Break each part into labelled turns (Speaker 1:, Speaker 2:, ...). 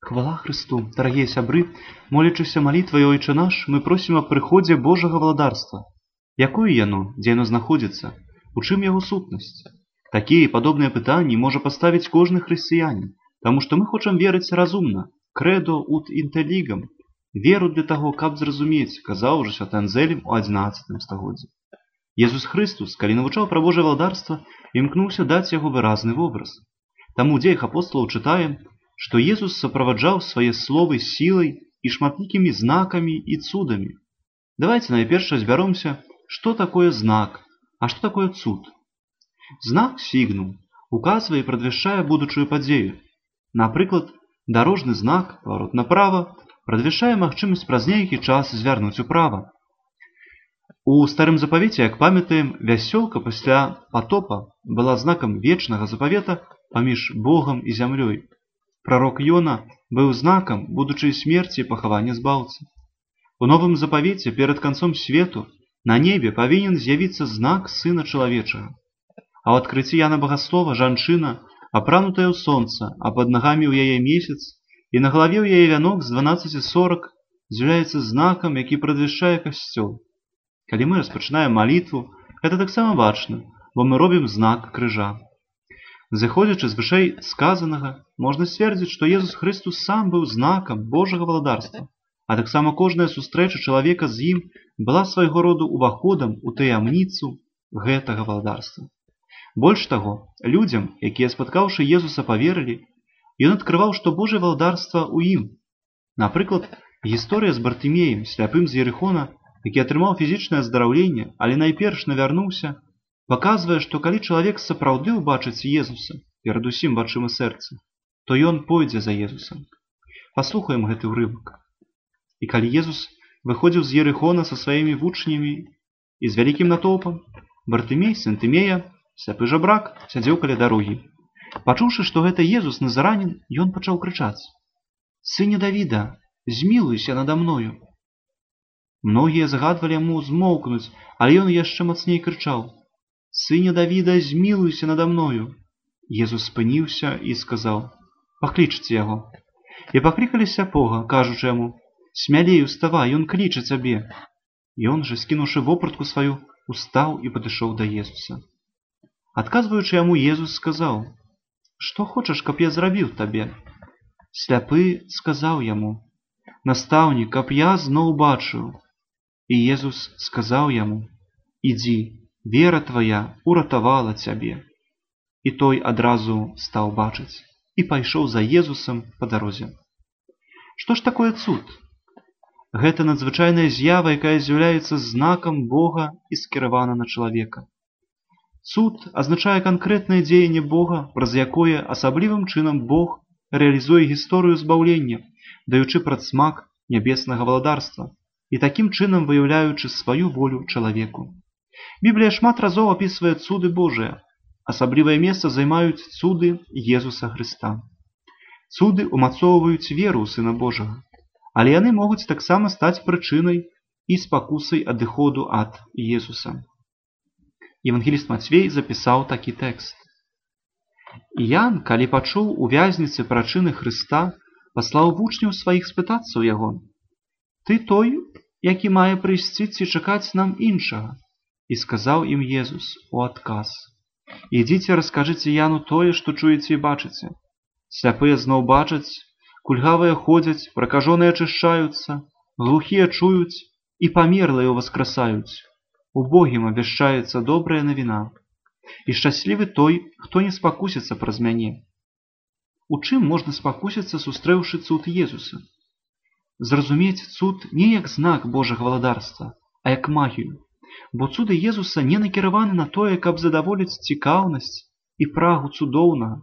Speaker 1: Хвала Христу, дарагія сябры, молячыся малітвай Ойчэ наш, мы просім аб прыходзе Божага валадарства. Якое яно, дзе яно знаходзіцца, у чым яго сутнасць? Такія і падобныя пытанні можа паставіць кожны хрысціянін, таму што мы хочам верыць разумна, крэдо ут інтэлігам, веру для таго, каб зразумець, казаў ужо святы Анзелем у 11 стагоддзі. Езус Христус, калі навучаў пра Божае валадарства, імкнуўся даць яго выразны вобраз. Таму ў дзеях апосталаў чытаем, што Езус суправаджаў свае словы сілай і шматлікімі знакамі і цудамі. Давайте найперш разбяромся, што такое знак, а што такое цуд. Знак сігнум указвае і прадвяшчае будучую падзею. Напрыклад, дарожны знак, паварот направа, прадвяшчае магчымасць праз нейкі час звярнуць управа. У старым запавеце, як памятаем, вясёлка пасля патопа была знакам вечнага запавета паміж Богам і зямлёй. Прарок Йона быў знакам будучай смерці і пахавання збаўцы. У новым запавеце перад канцом свету на небе павінен з'явіцца знак Сына Чалавечага. А ў адкрыцці Яна Багаслова жанчына, апранутая ў сонца, а пад нагамі ў яе месяц, і на галаве ў яе вянок з 12 сорак з'яўляецца знакам, які прадвяшчае касцёл. Калі мы распачынаем малітву, гэта таксама бачна, бо мы робім знак крыжа. Зыходзячы з вышэй сказанага, можна сцвердзіць, што Езус Христус сам быў знакам Божага валадарства, а таксама кожная сустрэча чалавека з ім была свайго роду уваходам у таямніцу гэтага валадарства. Больш таго, людзям, якія, спаткаўшы Езуса, паверылі, ён адкрываў, што Божае валадарства ў ім. Напрыклад, гісторыя з Бартымеем, сляпым з Ерыхона, які атрымаў фізічнае аздараўленне, але найперш навярнуўся, паказвае, што калі чалавек сапраўды ўбачыць Езуса, перадусім вачыма сэрца, то ён пойдзе за Езусам. Паслухаем гэты ўрывак. І калі Езус выходзіў з Ерыхона са сваімі вучнямі і з вялікім натоўпам, Бартымей, сын Тымея, сляпы жабрак, сядзеў каля дарогі. Пачуўшы, што гэта Езус назаранін, ён пачаў крычаць: «Сыне Давіда, змілуйся нада мною!» Многія загадвалі яму змоўкнуць, але ён яшчэ мацней крычаў: «Сыне Давіда, змілуйся нада мною!» Езус спыніўся і сказаў: «Паклічце яго». І паклікалі сляпога, кажучы яму: «Смялей уставай, ён кліча цябе». Ён жа, скінуўшы вопратку сваю, устаў і падышоў да Езуса. Адказваючы яму, Езус сказаў: «Што хочаш, каб я зрабіў табе?» Сляпы сказаў яму: «Настаўнік, каб я зноў бачыў». І Езус сказаў яму: «Ідзі, вера твая уратавала цябе». І той адразу стаў бачыць і пайшоў за Езусам па дарозе. Што ж такое цуд? Гэта надзвычайная з'ява, якая з'яўляецца знакам Бога і скіравана на чалавека. Цуд азначае канкрэтнае дзеянне Бога, праз якое асаблівым чынам Бог рэалізуе гісторыю збаўлення, даючы прадсмак нябеснага валадарства і такім чынам выяўляючы сваю волю чалавеку. Біблія шмат разоў апісвае цуды Божыя. Асаблівае месца займаюць цуды Езуса Хрыста. Цуды умацоўваюць веру ў Сына Божага, але яны могуць таксама стаць прычынай і спакусай адыходу ад Езуса. Евангеліст Мацвей запісаў такі тэкст. Іян, калі пачуў у вязніцы прычыны Хрыста, паслаў вучняў сваіх спытацца ў яго: «Ты той, які мае прыйсці ці чакаць нам іншага?» І сказаў ім Езус у адказ: «Ідзіце, раскажыце Яну тое, што чуеце і бачыце. Сляпыя зноў бачаць, кульгавыя ходзяць, пракажоныя ачышчаюцца, глухія чуюць і памерлыя ўваскрасаюць. Убогім абвяшчаецца добрая навіна. І шчаслівы той, хто не спакусіцца праз мяне». У чым можна спакусіцца, сустрэўшы цуд Езуса? Зразумець цуд не як знак Божага валадарства, а як магію. Бо цуды Езуса не накіраваны на тое, каб задаволіць цікаўнасць і прагу цудоўнага.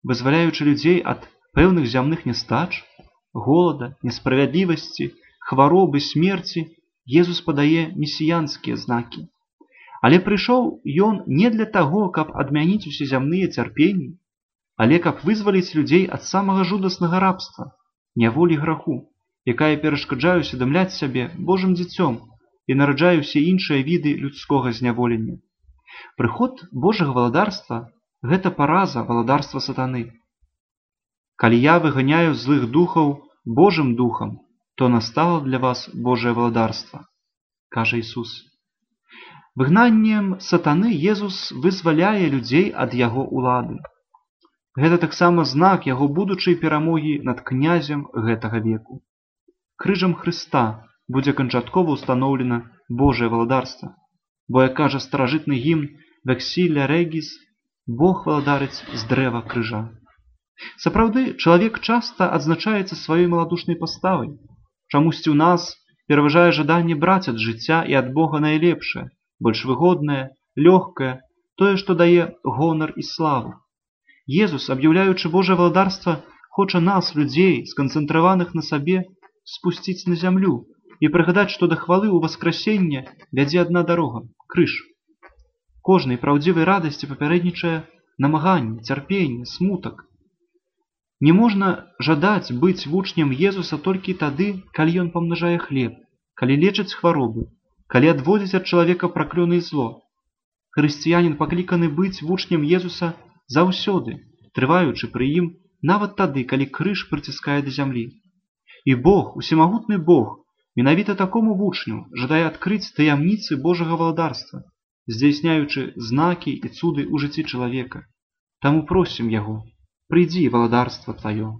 Speaker 1: Вызваляючы людзей ад пэўных зямных нястач, голада, несправядлівасці, хваробы, смерці, Езус падае месіянскія знакі. Але прыйшоў ён не для таго, каб адмяніць усе зямныя цярпенні, але каб вызваліць людзей ад самага жудаснага рабства, няволі граху, якая перашкаджае усведамляць сябе Божым дзіцём і нараджае ўсе іншыя віды людскога зняволення. Прыход Божага валадарства – гэта параза валадарства сатаны. Калі я выганяю злых духаў Божым духам, то настало для вас Божае валадарства, кажа Ісус. Выгнаннем сатаны Езус вызваляе людзей ад яго улады. Гэта таксама знак яго будучай перамогі над князем гэтага веку. Крыжам Хрыста будзе канчаткова ўстаноўлена Божае валадарства, бо, як кажа старажытны гімн «Вексіля регіс», Бог валадарыць з дрэва крыжа. Сапраўды, чалавек часта адзначаецца сваёй маладушнай паставай. Чамусьці ў нас пераважае жаданне браць ад жыцця і ад Бога найлепшае, больш выгоднае, лёгкае, тое, што дае гонар і славу. Езус, аб'яўляючы Божае валадарства, хоча нас, людзей, сканцэнтраваных на сабе, спусціць на зямлю і прыгадаць, што да хвалы ў васкрасення вядзе адна дарога – крыж. Кожнай праўдзівай радасці папярэднічае намаганне, цярпенне, смутак. Не можна жадаць быць вучнем Езуса толькі тады, калі ён памнажае хлеб, калі лечыць хваробы, калі адводзіць ад чалавека праклёны і зло. Хрысціянін пакліканы быць вучнем Езуса заўсёды, трываючы пры ім, нават тады, калі крыж прыціскае да зямлі. І Бог, усемагутны Бог, менавіта такому вучню жадае адкрыць таямніцы Божага валадарства, здзяйсняючы знакі і цуды ў жыцці чалавека. Таму просім яго: прыйдзі, валадарства тваё.